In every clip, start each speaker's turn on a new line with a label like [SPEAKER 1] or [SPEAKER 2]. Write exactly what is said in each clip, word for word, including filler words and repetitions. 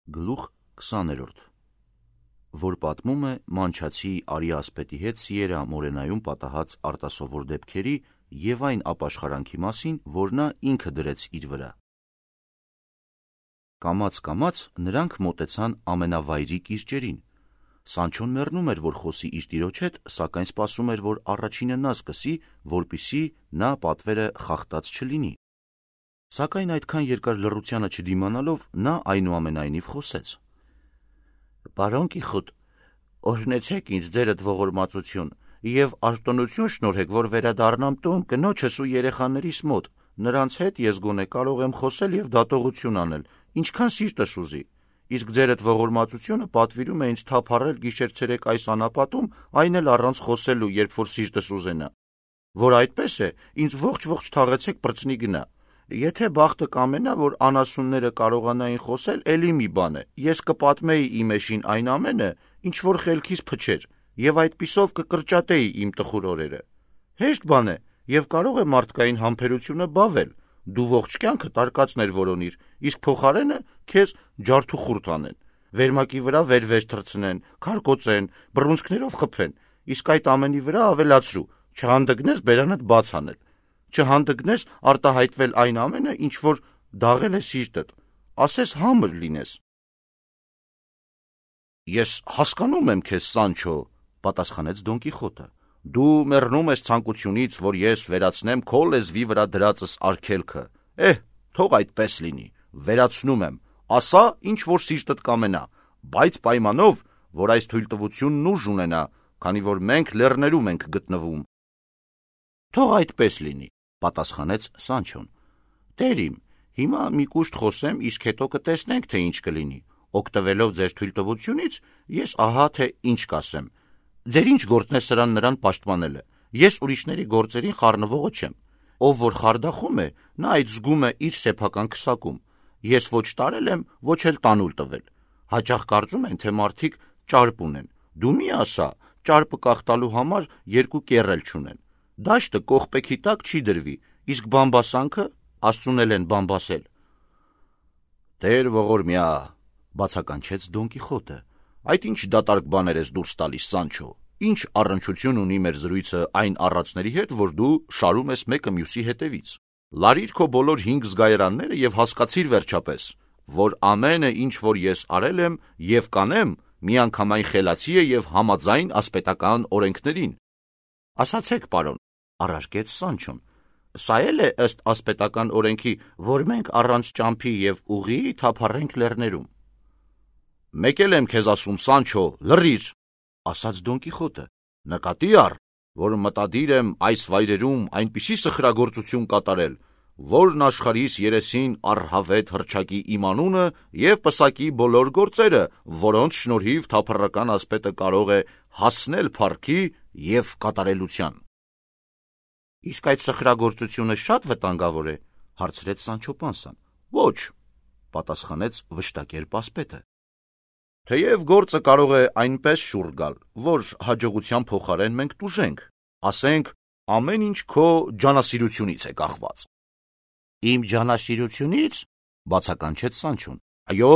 [SPEAKER 1] Գլուխ քսաներորդ որ պատմում է մանչացի Արի ասպետի հետ Սիերա Մորենայում պատահած արտասովոր դեպքերի և այն ապաշխարանքի մասին, որ նա ինքը դրեց իր վրա։ Կամաց-կամաց նրանք մոտեցան ամենավայրի կիրճերին։ Սանչոն մեռնում էր, որ խոսի իր տիրոջ հետ, սակայն սպասում էր, որ առաջինը նա սկսի, որպեսզի նա պատվերը խախտած չլինի։ Սակայն այդքան երկար լռությանը չդիմանալով, նա այնուամենայնիվ խոսեց. «Պարոն Կիխոտ, օրհնեցեք ինձ ձերդ ողորմածություն և արտոնություն շնորհեք, որ վերադառնամ տուն կնոջս ու երեխաներիս մոտ, նրանց հետ ես գոնե կարող եմ խոսել և դատողություն անել, ինչքան սիրտս ուզի, իսկ ձերդ ողորմածությունը պատվիրում է ինձ թափառել գիշեր-ցերեկ այս անապատում, այն էլ առանց խոսելու, երբ որ սիրտս ուզենա, որ այդպես է, ինձ ողջ-ողջ թաղեցեք պրծնի գնա։ Եթե բախտը կամենա, որ անասունները կարողանային խոսել, էլի մի բան է, ես կպատմեի իմ էշին այն ամենը, ինչ որ խելքիս փչեր, և այդպիսով կկրճատեի իմ տխուր օրերը։ Հեշտ բան է, և կարող է մարդկային համբերությունը բավել, դու ողջ կյանքը տարկածներ որոնիր, իսկ փոխարենը քեզ ջարդուխուրդ անեն, վերմակի վրա վեր-վեր թռցնեն, քարկոծեն, բռունցքներով խփեն, իսկ այդ ամենի վրա ավելացրու, չհանդգնես բերանդ բաց անել, չհանդգնես արտահայտվել այն ամենը, ինչ որ դաղել է սիրտդ, ասես համր լինես»։ «Ես հասկանում եմ քեզ, Սանչո», պատասխանեց Դոն Կիխոտը, «դու մեռնում ես ցանկությունից, որ ես վերացնեմ քո լեզվի վրա դրածս արգելքը, էհ, թող այդպես լինի, վերացնում եմ, ասա, ինչ որ սիրտդ կամենա, բայց պայմանով, որ այս թույլտվությունն ուժ ունենա, քանի որ մենք լեռներում ենք գտնվում»։ «Թող այդպես լինի», պատասխանեց Սանչոն, «Տեր իմ, հիմա մի կուշտ խոսեմ, իսկ հետո կտեսնենք, թե ինչ կլինի, օգտվելով ձեր թույլտվությունից, ես ահա թե ինչ կասեմ, ձեր ինչ գործն է սրան նրան պաշտպանելը, ես ուրիշների գործերին խառնվողը չեմ, ով որ խարդախում է, նա այդ զգում է իր սեփական քսակում, ես ոչ տարել եմ, ոչ էլ տանուլ տվել, հաճախ կարծում են, թե մարդիկ ճարպ ունեն, դու մի ասա, ճարպը կախտալու համար երկու կեռ էլ չունեն, դաշտը կողպեքի տակ չի դրվի, իսկ բամբասանքը Աստծուն էլ են բամբասել»։ «Տեր ողորմյա», բացականչեց Դոն Կիխոտը, «այդ ինչ դատարկ բաներ ես դուրս տալիս, Սանչո, ինչ առնչություն ունի մեր զրույցը այն առածների հետ, որ դու շարում ես մեկը մյուսի հետևից, լարիր քո բոլոր հինգ զգայարանները և հասկացիր վերջապես, որ ամենը, ինչ որ ես արել եմ և կանեմ, միանգամայն խելացի է և համաձայն ասպետական օրենքներին»։ «Ասացեք, պարոն», առարկեց Սանչոն, «սա էլ է ըստ ասպետական օրենքի, որ մենք առանց ճամփի և ուղիի թափառենք լեռներում»։ «Մեկ էլ եմ քեզ ասում, Սանչո, լռիր», ասաց Դոն Կիխոտը, «նկատի առ, որ մտադիր եմ այս վայրերում այնպիսի սխրագործություն կատարել, որն աշխարհիս երեսին առհավետ հռչակի իմ անունը և պսակի բոլոր գործերը, որոնց շնորհիվ թափառական ասպետը կարող է հասնել փառքի և կատարելության»։ «Իսկ այդ սխրագործությունը շատ վտանգավոր է», հարցրեց Սանչո Պանսան։ «Ոչ», պատասխանեց վշտակերպ ասպետը։ «Թեև գործը կարող է այնպես շուռ գալ, որ հաջողության փոխարեն մենք տուժենք, ասենք, ամեն ինչ քո ջանասիրությունից է կախված»։ «Իմ ջանասիրությունի՞ց», բացականչեց Սանչոն։ «Այո»,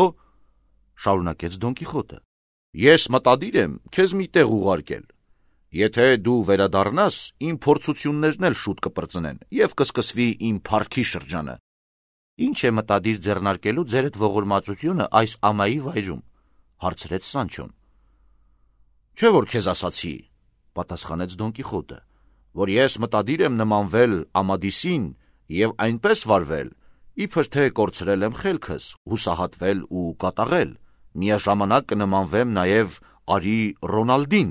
[SPEAKER 1] շարունակեց Դոն Կիխոտը, «ես մտադիր եմ քեզ մի տեղ ուղարկել, եթե դու վերադառնաս, իմ փորձություններն էլ շուտ կպրծնեն և կսկսվի իմ փառքի շրջանը»։ «Ինչ է մտադիր ձեռնարկելու ձերդ ողորմածությունը այս ամայի վայրում», հարցրեց Սանչոն։ «Չէ՞ որ քեզ ասացի», պատասխանեց Դոն Կիխոտը, «որ ես մտադիր եմ նմանվել Ամադիսին և այնպես վարվել, իբր թե կորցրել եմ խելքս, հուսահատվել ու կատաղել, միաժամանակ կնմանվեմ նաև Արի Ռոնալդին»։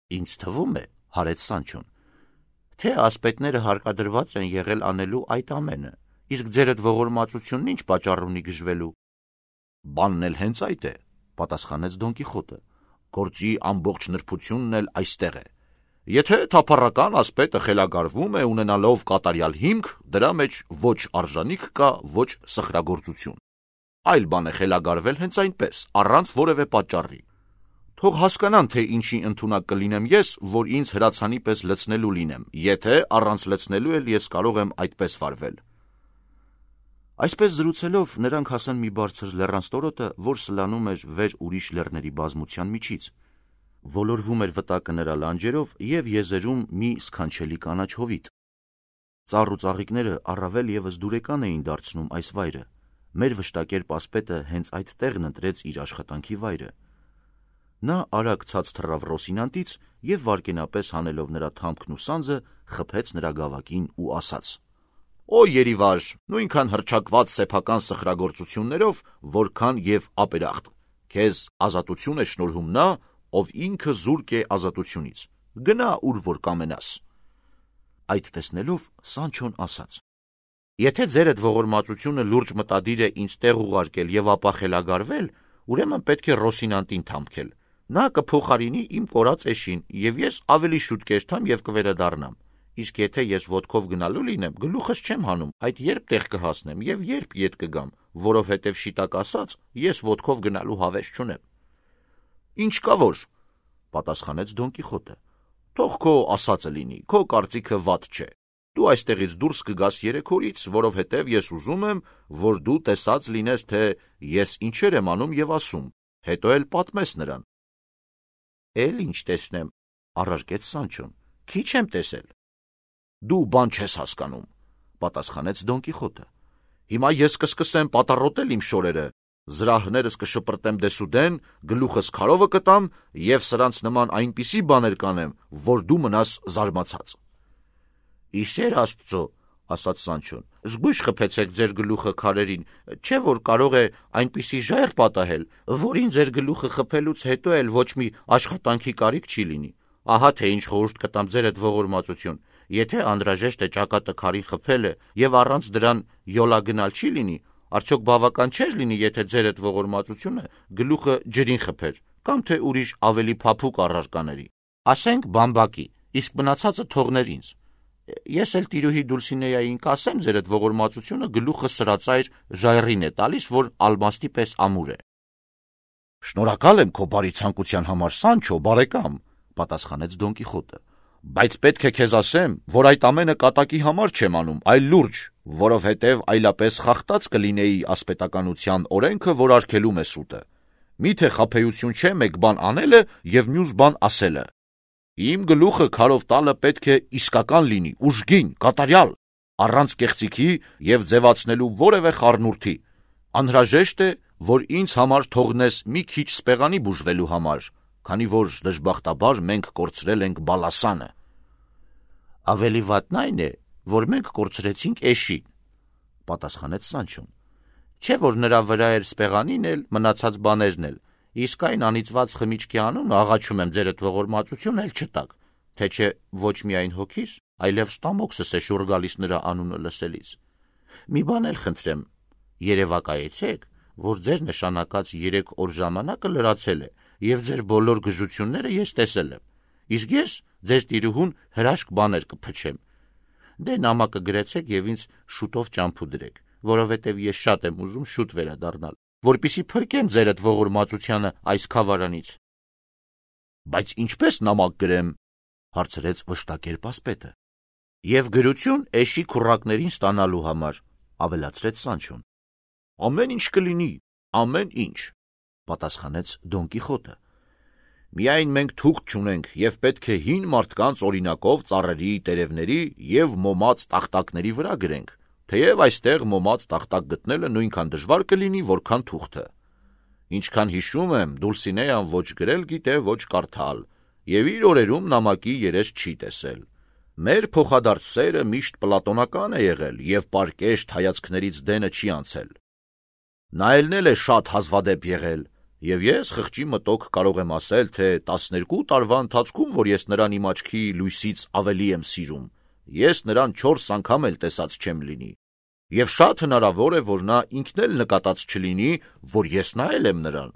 [SPEAKER 1] «Ինձ թվում է, հարեց Սանչոն, թե ասպետները հարկադրված են եղել անելու այդ ամենը, իսկ ձերդ ողորմածությունն ինչ պատճառ ունի գժվելու»։ «Բանն էլ հենց այդ է», պատասխանեց Դոն Կիխոտը, «գործի ամբողջ նրբությունն էլ այստեղ է։ Եթե թափառական ասպետը խելագարվում է ունենալով կատարյալ հիմք, դրա մեջ ոչ արժանիք կա, ոչ սխրագործություն։ Այլ բան է խելագարվել հենց այնպես, առանց որևէ պատճառի։ Թող հասկանան, թե ինչի ընդունակ կլինեմ ես, որ ինձ հրացանի պես լցնելու լինեմ, եթե առանց լցնելու էլ ես կարող եմ այդպես վարվել»։ Այսպես զրուցելով նրանք հասան մի բարձր լեռանստորոտը, որ սլանում էր վեր ուրիշ լեռների բազմության միջից։ Ոլորվում էր վտակը նրա լանջերով և եզերում մի սքանչելի կանաչ հովիտ։ Ծառ ու ծաղիկները առավել ևս դուրեկան էին դարձնում այս վայրը։ Մեր վշտակերպ ասպետը հենց այդ տեղն ընտրեց իր աշխատանքի վայրը։ Նա արագ ցած թռավ Ռոսինանտից և վայրկենապես հանելով նրա թամքն ու սանձը խփեց նրա գավակին ու ասաց. «Օ երիվար, նույնքան հռչակված սեփական սխրագործություններով, որքան և ապերախտ, քեզ ազատություն է շնորհում նա, ով ինքը զուրկ է ազատությունից, գնա ուր որ կամենաս»։ Այդ տեսնելով Սանչոն ասաց. «Եթե ձերդ ողորմածությունը լուրջ մտադիր է ինձ տեղ ուղարկել և ապա խելագարվել, ուրեմն պետք է Ռոսինանտին թամքել, նա կփոխարինի իմ կորած էշին, և ես ավելի շուտ կերթամ և կվերադառնամ, իսկ եթե ես ոտքով գնալու լինեմ, գլուխս չեմ հանում, այդ երբ տեղ կհասնեմ և երբ ետ կգամ, որովհետև շիտակ ասած, ես ոտքով գնալու հավես չունեմ»։ «Ինչ կա որ», պատասխանեց Դոն Կիխոտը, «թող քո ասածը լինի, քո կարծիքը վատ չէ, դու այստեղից դուրս կգաս երեք օրից, որովհետև ես ուզում եմ, որ դու տեսած լինես, թե ես ինչեր եմ անում և ասում, հետո էլ պատմես նրան»։ «Էլ ինչ տեսնեմ», առարկեց Սանչոն, «քիչ եմ տեսել»։ «Դու բան չես հասկանում», պատասխանեց Դոն Կիխոտը, «հիմա ես կսկսեմ պատառոտել իմ շորերը, զրահներս կշպրտեմ դեսուդեն, գլուխս քարովը կտամ և սրանց նման այնպիսի բաներ կանեմ, որ դու մնաս զարմացած»։ «Իսեր Աստծո», ասաց Սանչոն, «զգույշ խփեցեք ձեր գլուխը քարերին, չէ՞ որ կարող է այնպիսի ժայռ պատահել, որին ձեր գլուխը խփելուց հետո էլ ոչ մի աշխատանքի կարիք չի լինի։ Ահա թե ինչ խորհուրդ կտամ ձերդ ողորմածություն, եթե անհրաժեշտ է ճակատը քարին խփելը և առանց դրան յոլա գնալ չի լինի, արդյոք բավական չէր լինի, եթե ձերդ ողորմածությունը գլուխը ջրին խփեր, կամ թե ուրիշ ավելի փափուկ առարկաների, ասենք բամբակի, իսկ մնացածը թողներ ինձ։ Ես էլ տիրուհի Դուլսինեային կասեմ, ձերդ ողորմածությունը գլուխը սրածայր ժայռին է տալիս, որ ալմաստի պես ամուր է»։ «Շնորհակալ եմ քո բարի ցանկության համար, Սանչո, բարեկամ», պատասխանեց Դոն Կիխոտը, «բայց պետք է քեզ ասեմ, որ այդ ամենը կատակի համար չեմ անում, այլ լուրջ, որովհետև այլապես խախտած կլինեի ասպետականության օրենքը, որ արգելում է սուտը։ Միթե խաբեություն չէ մեկ բան անելը և մյուս բան ասելը։ Իմ գլուխը քարով տալը պետք է իսկական լինի, ուժգին, կատարյալ, առանց կեղծիքի և ձևացնելու որևէ խառնուրդի։ Անհրաժեշտ է, որ ինձ համար թողնես մի քիչ սպեղանի բուժվելու համար, քանի որ դժբախտաբար մենք կորցրել ենք Բալասանը»։ «Ավելի վատն այն է, որ մենք կորցրեցինք էշին», պատասխանեց Սանչոն, «չէ՞ որ նրա վրա էր սպեղանին էլ, մնացած բաներն էլ, իսկ այն անիծված խմիչքի անունը, աղաչում եմ ձերդ ողորմածություն, էլ չտաք, թե չէ ոչ միայն հոգիս, այլև ստամոքսս է շուռ գալիս նրա անունը լսելիս։ Մի բան էլ խնդրեմ, երևակայեցեք, որ ձեր նշանակած երեք օր ժամանակը լրացել է, և ձեր բոլոր գժությունները ես տեսել եմ, իսկ ես ձեր տիրուհուն հրաշք բաներ կփչեմ։ Դե նամակը գրեցեք և ինձ շուտով ճամփու դրեք, որովհետև ես շատ եմ ուզում շուտ վերադառնալ, որպեսզի փրկեմ ձերդ ողորմածությանը այս քավարանից»։ «Բայց ինչպե՞ս նամակ գրեմ», հարցրեց վշտակերպ ասպետը։ «Եվ գրություն էշի քուռակներին ստանալու համար», ավելացրեց Սանչոն։ «Ամեն ինչ կլինի, ամեն ինչ», պատասխանեց Դոն Կիխոտը։ «Միայն մենք թուղթ չունենք և պետք է հին մարդկանց օրինակով ծառերի, տերևների և մոմած տախտակների վրա գրենք, թեև այստեղ մոմած տախտակ գտնելը նույնքան դժվար կլինի, որքան թուղթը։ Ինչքան հիշում եմ, Դուլսինեան ոչ գրել գիտե, ոչ կարդալ, և իր օրերում նամակի երես չի տեսել։ Մեր փոխադարձ սերը միշտ պլատոնական է եղել և պարկեշտ հայացքներից դենը չի անցել։ Նայելն էլ է շատ հազվադեպ եղել, և ես խղճի մտոք կարող եմ ասել, թե տասներկու տարվա ընթացքում, որ ես նրան իմ աչքի լույսից ավելի եմ սիրում, ես նրան չորս անգամ էլ տեսած չեմ լինի, և շատ հնարավոր է, որ նա ինքն էլ նկատած չլինի, որ ես նայել եմ նրան։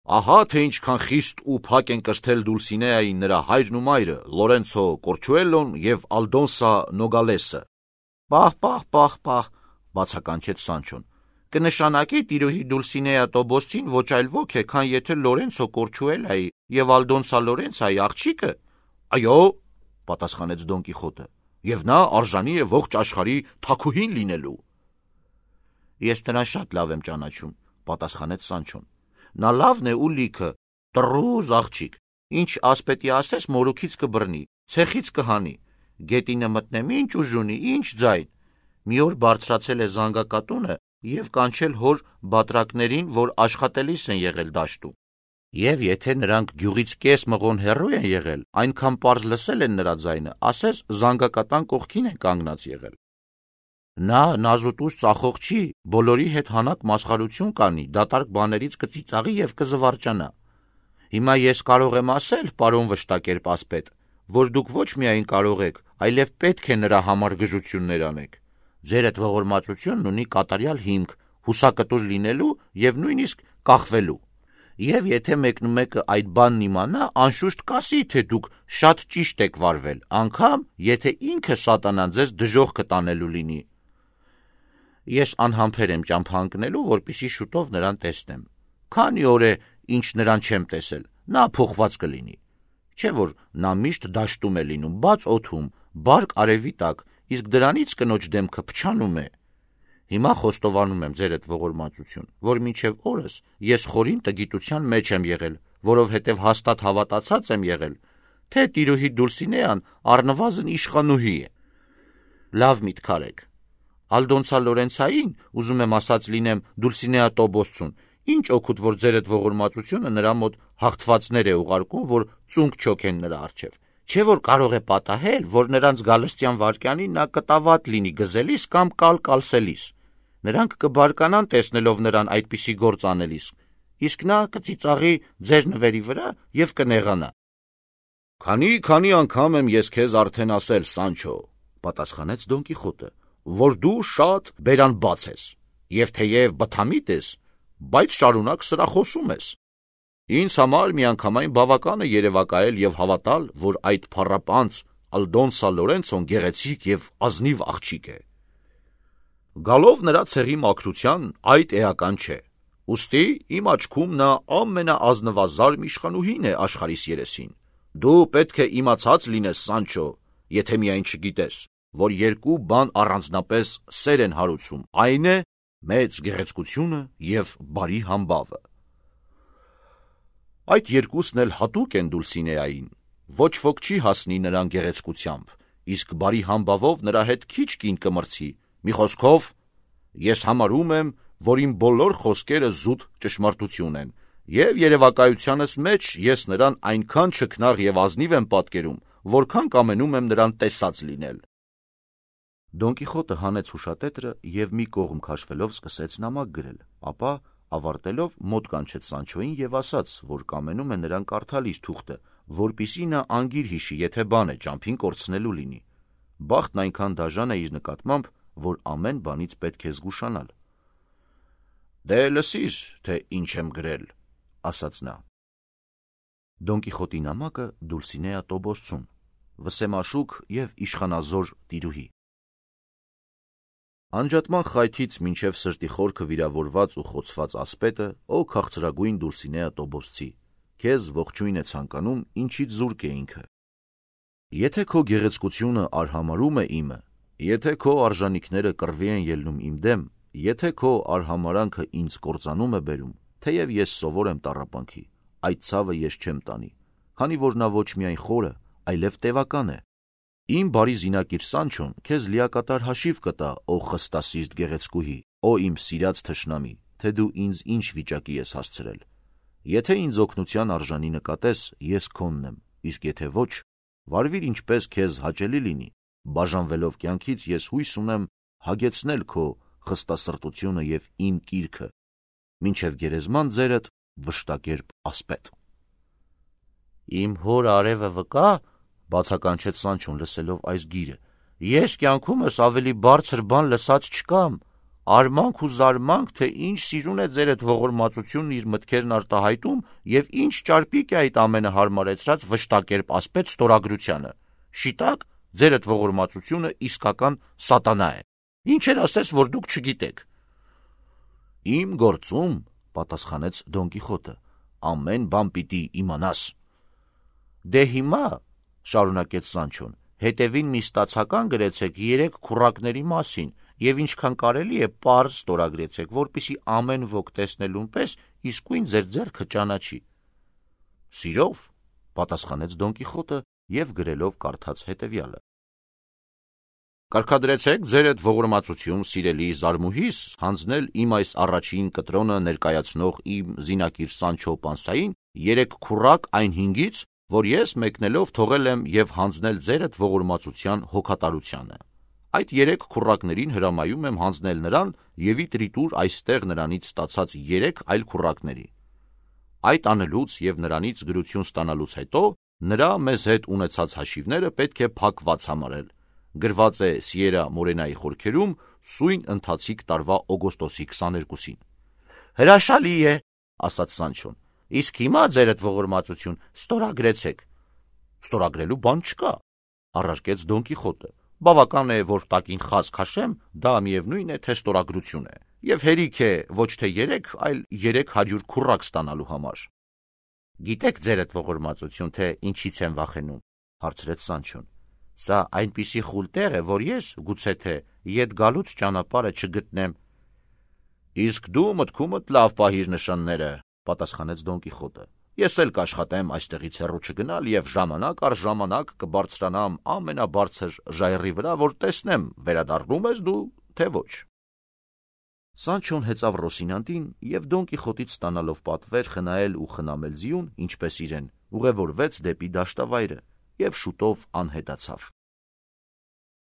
[SPEAKER 1] Ահա թե ինչքան խիստ ու փակ են կրթել Դուլսինեային նրա հայրն ու մայրը, Լորենցո Կորչուելլոն և Ալդոնսա Նոգալեսը»։ «Պահ, պահ, պահ, պահ», բացականչեց Սանչոն, «կնշանակի տիրուհի Դուլսինեա Տոբոսցին ոչ այլ ոք է, քան եթե Լորենցո Կորչուելլայի և Ալդոնսա Լորենցայի աղջիկը»։ «Այո», պատասխանեց Դոն Կիխոտը, «և նա արժանի է ողջ աշխարհի թագուհին լինելու»։ Ես նրան շատ լավ եմ ճանաչում, պատասխանեց Սանչոն։ Նա լավն է ու լիքը, տրուզ աղջիկ, ինչ ասպետի ասես մորուքից կբռնի, ցեխից կհանի, գետինը մտնեմ ինչ ուժ ունի, ինչ ձայն։ Մի օր բարձրացել է զանգակատունը և կանչել հոր բատրակներին, որ աշխատելիս են եղել դաշտում։ Եվ եթե նրանք գյուղից կես մղոն հեռու են եղել, այնքան պարզ լսել են նրա ձայնը, ասես զանգակատան կողքին են կանգնած եղել։ Նա նազուտուս ծախող չի, բոլորի հետ հանակ մասխարություն կանի, դատարկ բաներից կծիծաղի և կզվարճանա։ Հիմա ես կարող եմ ասել, պարոն վշտակերպ ասպետ, որ դուք ոչ միայն կարող եք, այլև պետք է նրա համար գժություններ անեք։ Ձեր այդ ողորմածությունն ունի կատարյալ հիմք, հուսակտուր լինելու և նույնիսկ կախվելու։ Եվ եթե մեկնումեկը այդ բանն իմանա, անշուշտ կասի, թե դուք շատ ճիշտ եք վարվել, անգամ եթե ինքը սատանան ձեզ դժոխք տանելու լինի։ Ես անհամբեր եմ ճամփա ընկնելու, որպեսզի շուտով նրան տեսնեմ։ Քանի օր է, ինչ նրան չեմ տեսել, նա փոխված կլինի։ Չէ՞ որ նա միշտ դաշտում է լինում, բաց օդում, բարկ արևի տակ, իսկ դրանից կնոջ դեմքը փչանում է։ Հիմա խոստովանում եմ ձեր այդ ողորմածություն, որ մինչև օրս ես խորին տգիտության մեջ եմ եղել, որովհետև հաստատ հավատացած եմ եղել, թե տիրուհի Դուլսինեան առնվազն իշխանուհի է։ Լավ միտք արեք։ Ալդոնցա Լորենցային, ուզում եմ ասած լինեմ Դուլսինեա Տոբոսցուն, ինչ օգուտ, որ ձեր այդ ողորմածությունը նրա մոտ հաղթվածներ է ուղարկում, որ ծունկ չոքեն նրա առջև։ Չէ՞ որ կարող է պատահել, որ նրանց գալստյան վայրկյանին նա կտավատ լինի գզելիս կամ կալ կալսելիս։ Նրանք կբարկանան տեսնելով նրան այդպիսի գործ անելիս, իսկ նա կծիծաղի ձեր նվերի վրա և կնեղանա։ Քանի-քանի անգամ եմ ես քեզ արդեն ասել, Սանչո, պատասխանեց Դոն Կիխոտը, որ դու շատ բերանբաց ես, և թեև բթամիտ ես, բայց շարունակ սրախոսում ես։ Ինձ համար միանգամայն բավական է երևակայել և հավատալ, որ այդ փառապանծ Ալդոնսա Լորենցոն գեղեցիկ և ազնիվ աղջիկ է։ Գալով նրա ցեղի մաքրության, այդ էական չէ։ Ուստի իմ աչքում նա ամենաազնվազարմ իշխանուհին է աշխարհիս երեսին։ Դու պետք է իմացած լինես, Սանչո, եթե միայն չգիտես, որ երկու բան առանձնապես սեր են հարուցում, այն է մեծ գեղեցկությունը և բարի համբավը։ Այդ երկուսն էլ հատուկ են Դուլսինեային, ոչ ոք չի հասնի նրան գեղեցկությամբ, իսկ բարի համբավով նրա հետ քիչ կին կմրցի, մի խոսքով, ես համարում եմ, որ իմ բոլոր խոսքերը զուտ ճշմարտություն են, և երևակայությանս մեջ ես նրան այնքան չքնաղ և ազնիվ եմ պատկերում, որքան կամենում եմ նրան տեսած լինել։ Դոն Կիխոտը հանեց հուշատետրը և մի կողմ քաշվելով սկսեց նամակ գրել, ապա ավարտելով մոտ կանչեց Սանչոյին և ասաց, որ կամենում է նրան կարդալ իր թուղթը, որպեսզի նա անգիր հիշի, եթե բան է ճամփին կորցնելու լինի։ Բախտն այնքան դաժան է իր նկատմամբ, որ ամեն բանից պետք է զգուշանալ։ Դե լսիր, թե ինչ եմ գրել, ասաց նա։ Դոն Կիխոտի նամակը Դուլսինեա Տոբոսցուն, վսեմաշուք և իշխանազոր տիրուհի։ Անջատման խայթից մինչև սրտի խորքը վիրավորված ու խոցված ասպետը, ո քաղցրագույն Դուլսինեա Տոբոսցի, քեզ ողջույն է ցանկանում, ինչից զուրկ է ինքը։ Եթե քո գեղեցկությունը արհամարում է իմը, եթե քո արժանիքները կռվի են ելնում իմ դեմ, եթե քո արհամարանքը ինձ կործանում է բերում, թեև ես սովոր եմ տառապանքի, այդ ցավը ես չեմ տանի, քանի որ նա ոչ միայն խորը, այլև տևական է։ Իմ բարի զինակիր Սանչոն քեզ լիակատար հաշիվ կտա, ո խստասիրտ գեղեցկուհի, ո իմ սիրած թշնամի, թե դու ինձ ինչ վիճակի ես հասցրել։ Եթե ինձ օգնության արժանի նկատես, ես քոնն եմ, իսկ եթե ոչ, վարվիր ինչպես քեզ հաճելի լինի, բաժանվելով կյանքից ես հույս ունեմ հագեցնել քո խստասրտությունը և իմ կիրքը, մինչև գերեզման ձերդ վշտակերպ ասպետ։ Իմ հոր արևը վկա, բացականչեց Սանչոն լսելով այս գիրը, ես կյանքումս ավելի բարձր բան լսած չկամ, արմանք ու զարմանք, թե ինչ սիրուն է ձեր այդ ողորմածությունն իր մտքերն արտահայտում և ինչ ճարպիկ է այդ ամենը հարմարեցրած վշտակերպ ասպետ ստորագրությանը։ Շիտակ, ձեր այդ ողորմածությունը իսկական սատանա է։ Ինչեր ասես, որ դուք չգիտեք։ Իմ գործում, պատասխանեց Դոն Կիխոտը, ամեն բան պիտի իմանաս։ Դե հիմա, շարունակեց Սանչոն, հետևին մի ստացական գրեցեք երեք քուռակների մասին եւ ինչքան կարելի է պարզ ստորագրեցեք, որպեսզի ամեն ոք տեսնելուն պես իսկույն ձեր ձեռքը ճանաչի։ Սիրով, պատասխանեց Դոն Կիխոտը եւ գրելով կարդաց հետեւյալը. Կարգադրեցեք ձեր այդ ողորմածություն, սիրելի զարմուհիս, հանձնել իմ այս առաջին կտրոնը ներկայացնող իմ զինակիր Սանչո Պանսային երեք քուռակ այն հինգից, որ ես մեկնելով թողել եմ եւ հանձնել ձեր այդ ողորմածության հոգատարությանը։ Այդ երեք քուռակներին հրամայում եմ հանձնել նրան եւ ի տրիտուր այստեղ նրանից ստացած երեք այլ քուռակների։ Այդ անելուց եւ նրանից գրություն ստանալուց հետո նրա մեզ հետ ունեցած հաշիվները պետք է փակված համարել։ Գրված է Սիերա Մորենայի խորքերում սույն ընթացիկ տարվա օգոստոսի քսաներկուսին։ Հրաշալի է, ասաց Սանչոն։ Իսկ հիմա ձեր այդ ողորմածություն ստորագրեցեք։ Ստորագրելու բան չկա, առարկեց Դոն Կիխոտը։ Բավական է, որ տակին խազ քաշեմ, դա միևնույն է, թե ստորագրություն է, եւ հերիք է ոչ թե երեք, այլ երեք հարյուր քուռակ ստանալու համար։ Գիտեք ձեր այդ ողորմածություն, թե ինչից եմ վախենում, հարցրեց Սանչոն։ Սա այնպիսի խուլ տեղ է, որ ես, գուցե թե, ետ գալուց ճանապարհը չգտնեմ։ Իսկ դու մտքումդ լավ պահիր նշանները, պատասխանեց Դոն Կիխոտը։ Ես էլ կաշխատեմ այստեղից հեռու չգնալ եւ ժամանակ առ ժամանակ կբարձրանամ ամենաբարձր ժայռի վրա, որ տեսնեմ վերադառնում ես դու, թե ոչ։ Սանչոն հեծավ Ռոսինանտին եւ Դոն Կիխոտից ստանալով պատվեր խնայել ու խնամել ձիուն, ինչպես իրեն, ուղևորվեց դեպի դաշտավայրը եւ շուտով անհետացավ։